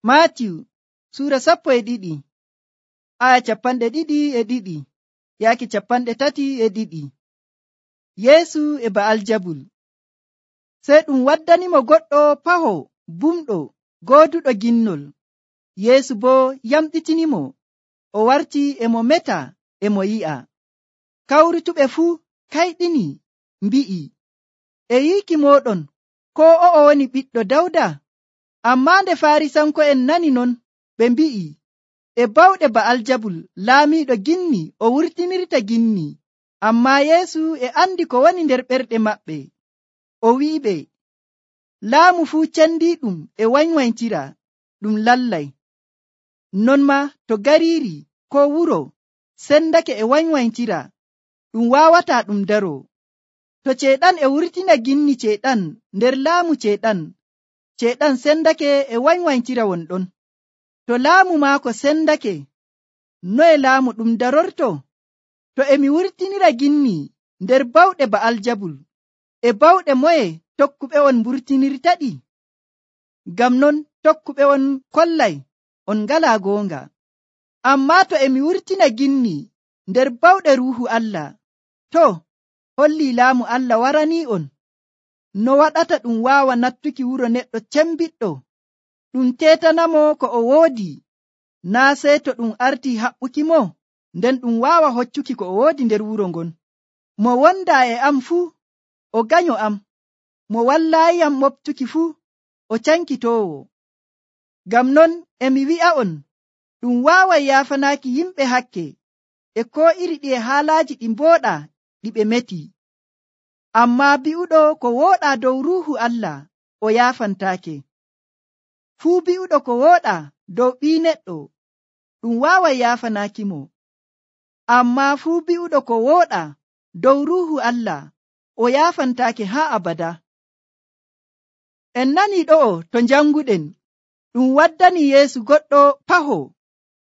Maatiyu suura 12 aya 22 yaaki 32. Yeesu e Ba'aljabul. Sey ɗum waddanimo goɗɗo paho bumɗo gooduɗo ginnol. Yeesu boo yamɗitinimo, o warti e mo meta e mo yi'a. Kawrutuɓe fuu kayɗini mbi'i, e yiiki mooɗon ko o'o woni ɓiɗɗo Dawda? Ammaa nde Faarisanko'en nani non, ɓe mbi'i, e bawɗe Ba'aljabul laamiiɗo ginni o wurtinirta ginni. Ammaa Yeesu e andi ko woni nder ɓerɗe maɓɓe. O wi'iɓe, laamu fuu cendiiɗum e wanywanytira, ɗum lallay. Non maa to gariiri ko wuro sendake e wanywanytira, ɗum waawataa ɗum daroo. To ceeɗan e wurtina ginni ceeɗan nder laamu ceeɗan sendake e wanywanytira wonɗon. To laamu maako sendake, noye laamu ɗum darorto? To emi wurtinira ginni nder bawɗe Ba'aljabul, e bawɗe moye tokkuɓe on mburtinirtaɗi? Ngam non tokkuɓe on kollay on ngalaa goonga. Ammaa to emi wurtina ginni nder bawɗe Ruuhu Allah, to hollii laamu Allah waranii on. No waɗata ɗum waawa nattuki wuro neɗɗo cembiɗɗo, ɗum teetanamo ko o woodi, naa sey to ɗum artii haɓɓuki mo, nden ɗum waawa hoccuki ko o woodi nder wuro ngon. Mo wondaa e am fuu, o ganyo am. Mo wallaayiyam moɓtuki fuu, o cankitoowo. Ngam non emi wi'a'on, ɗum waaway yaafanaaki yimɓe hakke e koo iri ɗiye haalaaji ɗi mbooɗaa ɗi ɓe meti. Ammaa bi'uɗo ko wooɗaa dow Ruuhu Allah o yaafantaake. Fuu bi'uɗo ko wooɗaa dow ɓii neɗɗo, ɗum waaway yaafanaaki mo. Ammaa fuu bi'uɗo ko wooɗaa dow Ruuhu Allah o yaafantaake haa abada. En nanii ɗo'o to njanguɗen, ɗum waddani Yeesu goɗɗo paho,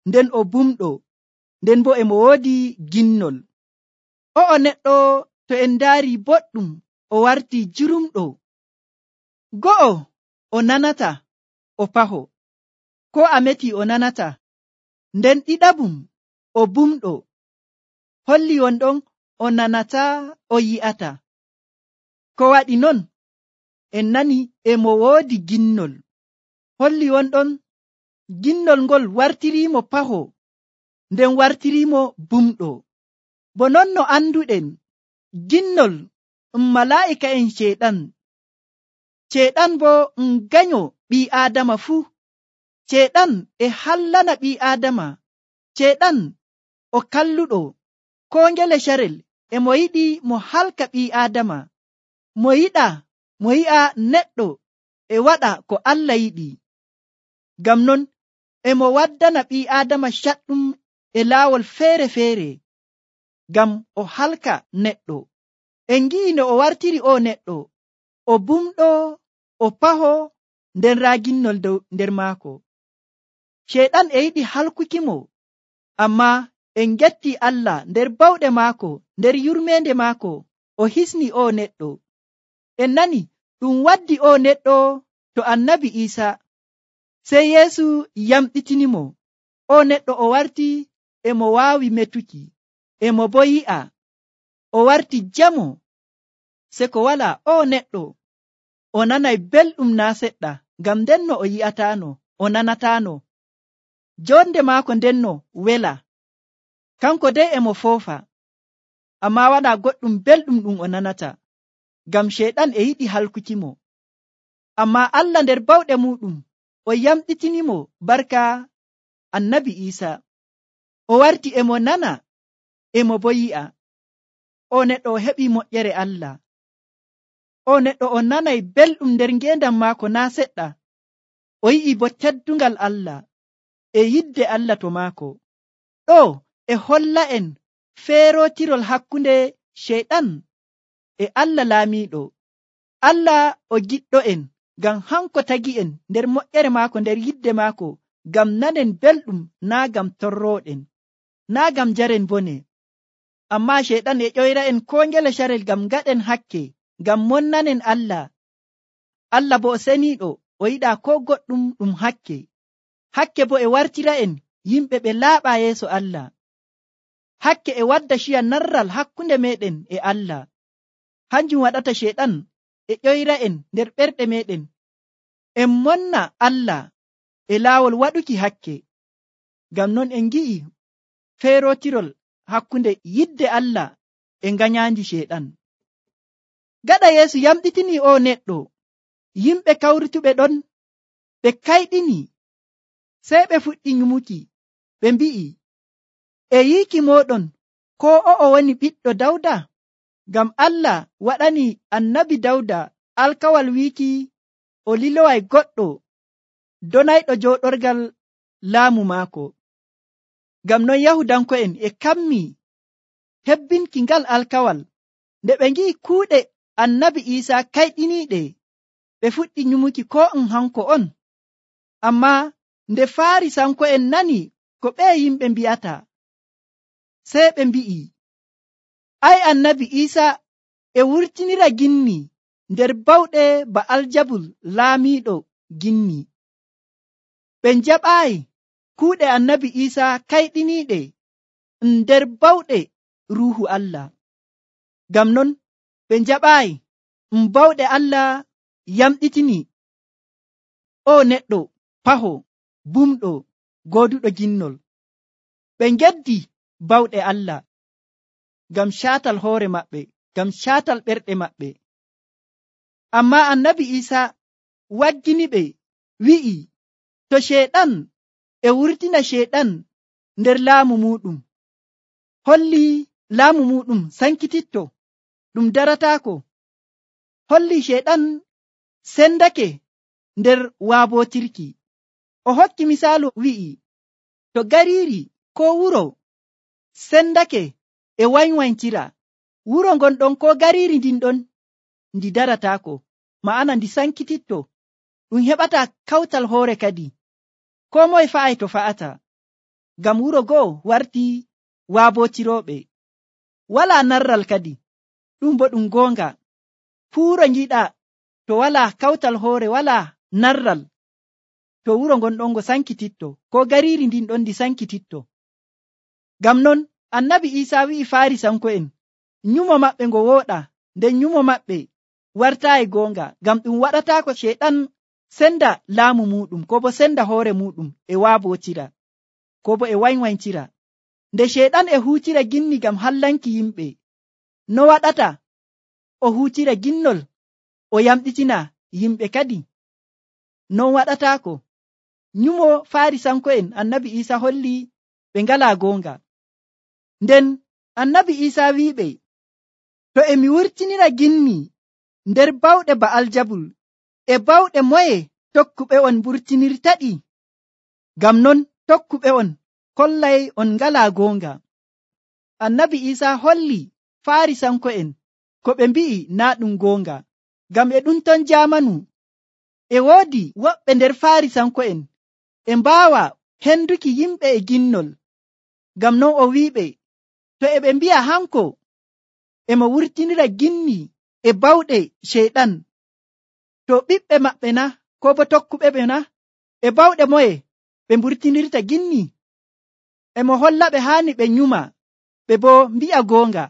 nden o bumɗo, nden boo e mo woodi ginnol. O'o neɗɗo to en ndaari boɗɗum o wartii jurumɗo. Go'o o nanata o paho, ko a metii o nanata. Nden ɗiɗabum o bumɗo, holli wonɗon o nanata o yi'ata. Ko waɗi non? En nani e mo woodi ginnol, holli wonɗon ginnol ngol wartiriimo paho, nden wartiriimo bumɗo. Bo non no anduɗen, ginnol malaa'ika'en ceeɗan bo ganyo ɓii Aadama fuu. Ceeɗan e hallana ɓii Aadama. Ceeɗan o kalluɗo, koo ngele carel e mo yiɗi mo halka ɓii Aadama. Mo yi'a neɗɗo e waɗa ko Allah yiɗi. Ngam non e mo waddana ɓii Aadama caɗɗum e laawol feere-feere, ngam o halka neɗɗo. En ngi'i no o wartiri o neɗɗo, o bumɗo, o paho, nden raa ginnol dow nder maako. Ceeɗan e yiɗi halkuki mo, ammaa en ngetti Allah nder bawɗe maako, nder yurmeende maako, o hisni o neɗɗo. En nani ɗum waddi o neɗɗo to Annabi Iisaa. Sey Yeesu yamɗitinimo, o neɗɗo o warti e mo waawi metuki, e mo bo yi'a, o warti jamo. Se ko walaa o neɗɗo o nanay belɗum naa seɗɗa, ngam ndenno o yi'ataano, o nanataano. Jonde maako ndenno wela, kanko dey e mo foofa, ammaa walaa goɗɗum belɗum ɗum o nanata, ngam ceeɗan e yiɗi halkuki mo. Ammaa Allah nder bawɗe muɗum o yamɗitinimo barka Annabi Iisaa. O warti e mo nana, e mo bo yi'a. O neɗɗo o heɓii moƴƴere Allah. O neɗɗo o nanay belɗum nder ngeendam maako naa seɗɗa. O yi'i bo teddungal Allah e yidde Allah to maako. Ɗo e holla en feerotirol hakkunde ceeɗan e Allah laamiiɗo. Allah o giɗɗo en, ngam hanko tagi en nder moƴƴere maako, nder yidde maako, ngam nanen belɗum, naa ngam torrooɗen, naa ngam jaren bone. Ammaa ceeɗan e ƴoyra en koo ngele carel ngam ngaɗen hakke, ngam monnanen Allah. Allah bo o seniiɗo, o yiɗaa koo goɗɗum ɗum hakke. hakke bo e wartira'en yimɓe ɓe laaɓa yeeso Allah. Hakke e wadda ciya narral hakkunde meɗen e Allah. Hanjum waɗata Sheɗan e ƴoyra'en nder ɓerɗe meɗen en monna Allah e laawol waɗuki hakke. Ngam non en ngi'i feerotirol hakkunde yidde Allah e nganyaandi Sheɗan. Gaɗa Yeesu yamɗitini o neɗɗo, yimɓe kawrutuɓe ɗon ɓe kayɗini, sey ɓe fuɗɗi nyumuki, ɓe mbi'i, e yiiki moɗon ko o'o woni ɓiɗɗo Dawda? Ngam Allah waɗani annabi Dawda alkawal wiiki o liloway goɗɗo donayɗo jooɗorgal laamu maako. Ngam non Yahudanko'en e kammi hebbinki ngal alkawal. Nde ɓe ngi'i kuuɗe annabi Iisaa kayɗiniiɗe, ɓe fuɗɗi nyumuki ko hanko on. Ammaa nde Faarisanko'en nani ko ɓee yimɓe mbi'ata, sey ɓe mbi'i, ay annabi Iisaa e wurtinira ginni nder bawɗe Ba'aljabul laamiiɗo ginni. Ɓe njaɓaayi kuuɗe annabi Iisaa kayɗiniiɗe nder bawɗe Ruuhu Allah. Ngam non ɓe njaɓaayi bawɗe Allah yamɗitini o neɗɗo paho bumɗo gooduɗo ginnol. Ɓe ngeddi bawɗe Allah ngam caatal hoore maɓɓe, ngam caatal ɓerɗe maɓɓe. Ammaa annabi Iisaa wagginiɓe, wi'i, to Sheɗan e wurtina Sheɗan nder laamu muɗum, holli laamu muɗum sankititto, ɗum darataako. Holli Sheɗan sendake nder waabotirki. O hokki misaalu wi'i, to gariiri ko wuro sendake e waynwayntira, wuro ngon ɗon ko gariiri ndin ɗon ndi darataako, ma'ana ndi sankititto, ɗum heɓata kawtal hoore kadi. Ko moye fa'ay to fa'ata, ngam wuro go'o warti waabotirooɓe. Walaa narral kadi, ɗum bo ɗum goonga. Fuuro ngiɗa to walaa kawtal hoore, walaa narral, to wuro ngon ɗon ngo sankititto, ko gariiri ndin ɗon ndi sankititto. Ngam non annabi Iisaa wi'i Faarisanko'en nyumo maɓɓe ngo wooɗa, nden nyumo maɓɓe wartaayi goonga, ngam ɗum waɗataako Sheɗan senda laamu muɗum, ko bo senda hoore muɗum e waabotira, ko bo e waynwayntira. Nde Sheɗan e huutira ginni ngam hallanki yimɓe, no waɗata o huutira ginnol o yamɗitina yimɓe kadi? Non waɗataako. Nyumo Faarisanko'en annabi Iisaa holli ɓe ngalaa goonga. Nden annabi Iisaa wi'iɓe, to emi wurtinira ginni nder bawɗe Ba'aljabul, e bawɗe moye tokkuɓe on mburtinirtaɗi? Ngam non tokkuɓe on kollay on ngalaa goonga. Annabi Iisaa holli Faarisanko'en ko ɓe mbi'i naa ɗum goonga. Ngam e ɗum ton jaamanu e woodi woɓɓe nder Faarisanko'en e mbaawa henduki yimɓe e ginnol. Ngam non o wi'iɓe, to e ɓe mbi'a hanko emo wurtinira ginni e bawɗe Sheɗan, to ɓiɓɓe maɓɓe na, ko bo tokkuɓe ɓe na, e bawɗe moye ɓe mburtinirta ginni? Emo holla ɓe haani ɓe nyuma, ɓe bo mbi'a goonga.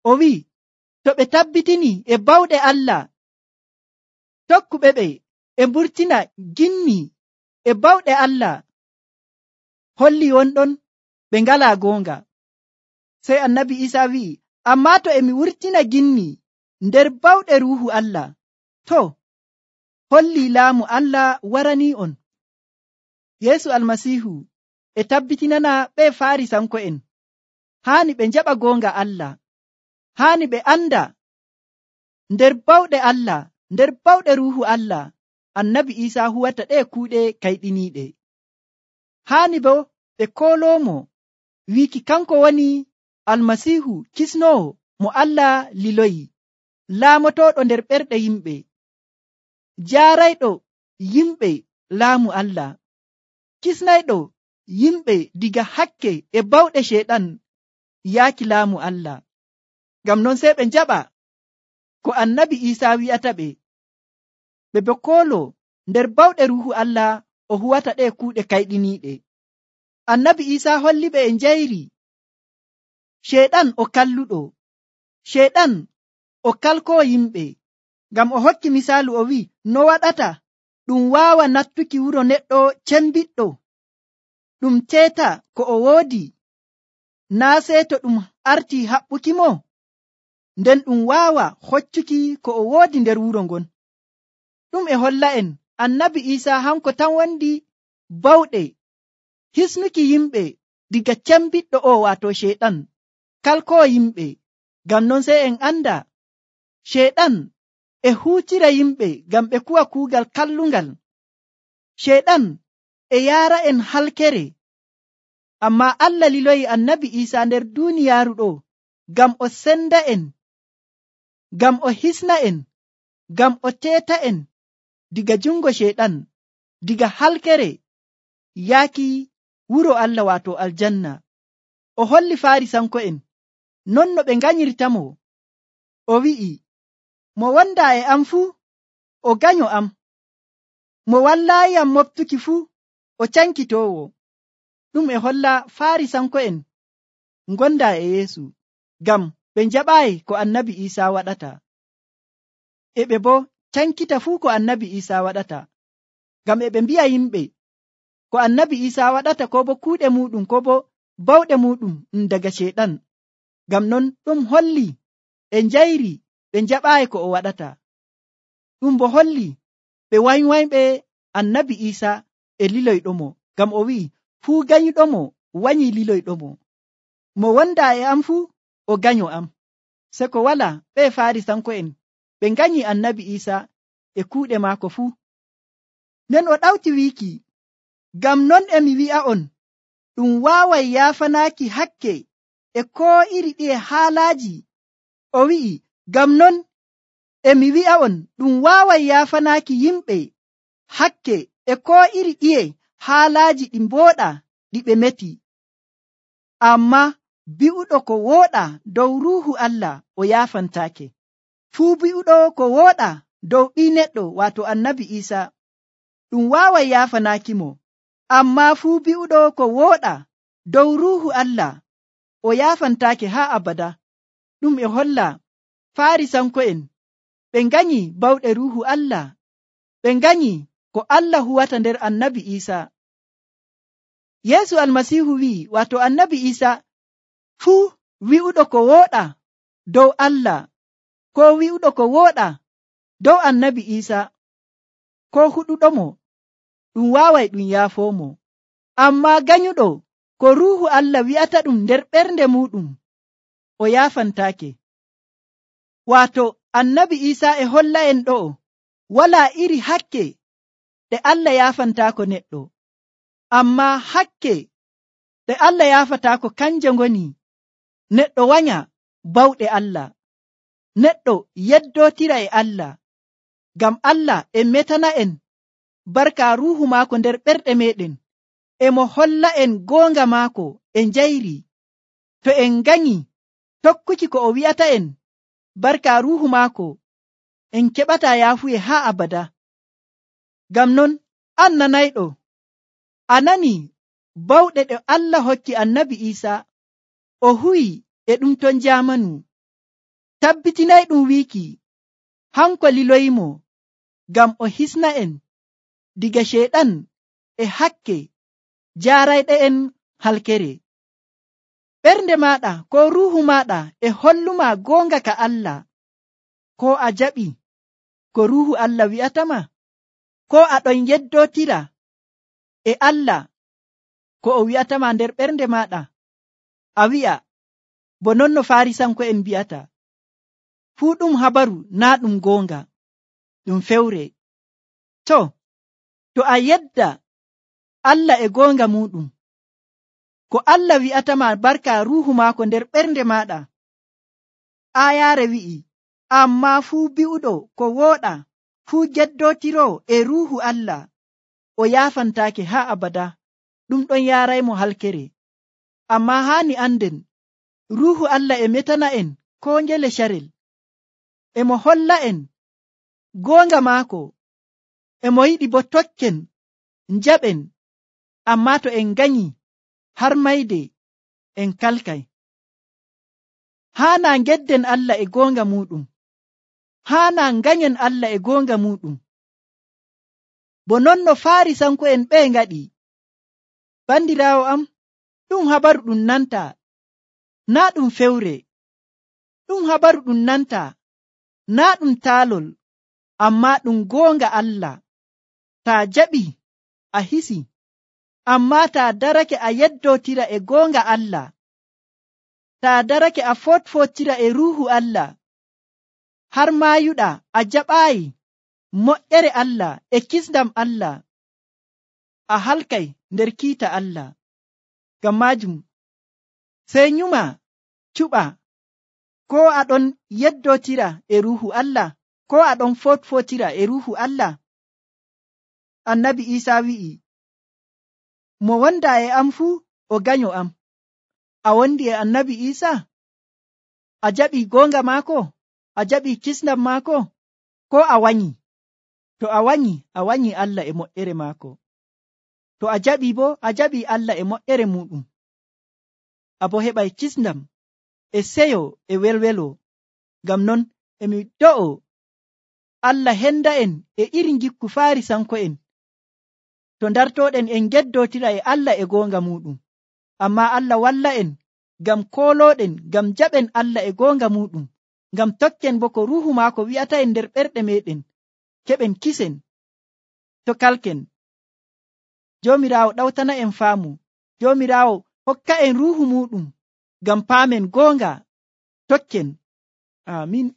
O wi'i, to ɓe tabbitini e bawɗe Allah, tokkuɓe ɓe e mburtina ginni e bawɗe Allah, holli wonɗon ɓe ngalaa goonga. Sey annabi Iisaa wi'i, ammaa to emi wurtina ginni nder bawɗe Ruuhu Allah, to holli laamu Allah waranii on. Yeesu Almasiihu e tabbitinana ɓe Faarisanko'en haani ɓe njaɓa goonga Allah, haani ɓe anda nder bawɗe Allah, nder bawɗe Ruuhu Allah, annabi Iisaa huwata ɗe kuuɗe kayɗiniiɗe. Haani bo ɓe kooloomo wiiki kanko woni Almasiihu kisnoowo mo Allah liloyi, laamotooɗo nder ɓerɗe yimɓe, jaarayɗo yimɓe laamu Allah, kisnayɗo yimɓe diga hakke e bawɗe Sheɗan yaaki laamu Allah. Ngam non sey ɓe njaɓa ko annabi Iisaa wi'ata ɓe, ɓe bo koolo nder bawɗe Ruuhu Allah o huwata ɗe kuuɗe kayɗiniiɗe. Annabi Iisaa holliɓe e njayri. Sheeɗan o kalluɗo. Sheeɗan o kalkoo yimɓe, ngam o hokki misaalu o wi'i, no waɗata ɗum waawa nattuki wuro neɗɗo cembiɗɗo ɗum teeta ko o woodi, naa sey to ɗum arti haɓɓuki mo, nden ɗum waawa hoccuki ko o woodi nder wuro ngon. Ɗum e holla en annabi Iisaa hanko tan wondi bawɗe hisnuki yimɓe diga cembiɗɗo o waato sheeɗan kalkoo yimɓe. Ngam non sey en anda sheeɗan e huucira yimɓe ngam ɓe kuwa kuugal kallungal. Sheeɗan e yaara en halkere, amma Allah liloyi annabi Iisaa nder duuniyaaru ɗo ngam o senda en, ngam o hisna en, ngam o teeta en diga jungo sheeɗan, diga halkere yaaki wuro Allah waato aljanna. O holli Faarisanko'en non no ɓe nganyirtamo. O wi'i, mo wonda e am fuu o ganyo am, mo wallaayi am moftuki fuu o cankitoowo. Ɗum e holla Faarisanko'en gonda e Yeesu, ngam ɓe njaɓaayi ko annabi Iisaa waɗata, e ɓe bo cankita fuu ko annabi Iisaa waɗata, ngam e ɓe mbi'a yimɓe ko annabi Iisaa waɗata ko bo kuuɗe muɗum ko bo bawɗe muɗum daga sheeɗan. Ngam non ɗum holli e njayri ɓe njaɓaayi ko o waɗata. Ɗum bo holli ɓe wanywayɓe annabi Iisaa e liloyɗomo, ngam o wi'i fuu ganyuɗomo wanyi liloyɗomo. Mo wonda e am fuu o ganyo am. Se ko wala ɓe Faarisanko'en ɓe nganyi annabi Iisaa e kuuɗe maako fuu. Nden o ɗawti wiiki, ngam non e mi wi'a'on ɗum waaway yaafanaaki hakke e koo iri ɗiye haalaaji. O wi'i, ngam non e mi wi'a'on ɗum waaway yaafanaaki yimɓe hakke e koo iri ɗiye haalaaji ɗi mbooɗa ɗi ɓe meti. Amma bi'uɗo ko wooɗa dow Ruuhu Allah o yaafantaake. Fuu bi'uɗo ko wooɗa dow ɓii neɗɗo waato annabi Iisaa ɗum waaway yaafanaaki mo. Amma fuu bi'uɗo ko wooɗa dow Ruuhu Allah o yaafantaake haa abada. Ɗum e holla Faarisanko'en ɓe nganyi bawɗe Ruuhu Allah, ɓe nganyi ko Allah huwata nder annabi Iisaa. Yeesu Almasiihu wi'i, waato annabi Iisaa, fuu wi'uɗo ko wooɗa dow Allah, ko wi'uɗo ko wooɗa dow annabi Iisaa, ko huɗuɗomo, ɗum waaway ɗum yaafoomo. Amma ganyuɗo ko Ruuhu Allah wi'ata ɗum nder ɓernde muɗum, o yaafantaake. Waato annabi Iisaa e holla en ɗo walaa iri hakke ɗe Allah yaafantaako neɗɗo. Amma hakke ɗe Allah yaafataako kanje ngoni neɗɗo wanya bawɗe Allah, neɗɗo yeddotira e Allah, ngam Allah e metana en barka Ruuhu maako nder ɓerɗe meɗen, e mo holla en goonga maako e njayri. To en nganyi tokkuki ko o wi'ata en barka Ruuhu maako, en keɓata yaafuye haa abada. Ngam non an nanayɗo, a nani bawɗe ɗe Allah hokki annabi Iisaa o huwi e ɗum ton jaamanu. Tabbitinay ɗum wiiki hanko liloyimo ngam o hisna en diga sheeɗan e hakke jaarayɗe en halkere. Ɓernde maɗa ko Ruuhu maɗa e holluma goonga ka Allah, ko a jaɓi ko Ruuhu Allah wi'atama, ko aɗon yeddotira e Allah ko o wi'atama nder ɓernde maɗa. A wi'a bo non no Faarisanko'en mbi'ata, fuu ɗum habaru naa ɗum goonga, ɗum fewre. To a yedda Allah e goonga muɗum, ko Allah wi'atama barka Ruuhu maako nder ɓernde maɗa. Aayaare wi'i, amma fuu bi'uɗo ko wooɗa, fuu geddotiro e Ruuhu Allah, o yaafantaake haa abada, ɗum ɗon yaaraymo halkere. Amma haani anden Ruuhu Allah e metana en ko ngele carel, e mo holla en goonga maako, e mo yiɗi bo tokken njaɓen, ammaa to en nganyi har mayde en kalkay. Haana ngedden Allah e goonga muɗum, haana nganyen Allah e goonga muɗum. Bo non no Faarisanko'en ɓe ngaɗi. Bandiraawo am, ɗum habaru ɗum nanta, naa ɗum fewre. Ɗum habaru ɗum nanta, naa ɗum taalol, ammaa ɗum goonga Allah. Taa jaɓi a hisi, ammaa taa darake a yeddotira e goonga Allah. Taa darake a fotfotira e ruuhu Allah, har maayuɗa a jaɓaayi moƴƴere Allah e kisndam Allah, a halkay nder kiita Allah. Ngam maajum sey nyuma cuɓa, ko aɗon yeddotira e ruuhu Allah, ko aɗon fotfotira e ruuhu Allah. Annabi Iisaa wi'i, mo wonda e am fuu o ganyo am. A wondi e Annabi Iisaa? A jaɓi goonga maako? A jaɓi kisndam maako? Ko a wanyi? To a wanyi Allah e moƴƴere maako. To a jaɓi bo, a jaɓi Allah e moƴƴere muɗum. Abo heɓay kisndam e seyo e welwelo. Ngam non emi do'o Allah henda en e iri gikku Faarisanko'en, to dartoɗen en geddotira e Allah e goonga muɗum. Amma Allah walla en ngam kooloɗen, ngam jaɓen Allah e goonga muɗum, ngam tokken bo ko ruuhu maako wi'ata en nder ɓerɗe meɗen, keɓen kisen to kalken. Joomiraawo ɗawtana en faamu, Joomiraawo hokka en ruuhu muɗum ngam paamen goonga, tokken. Amin.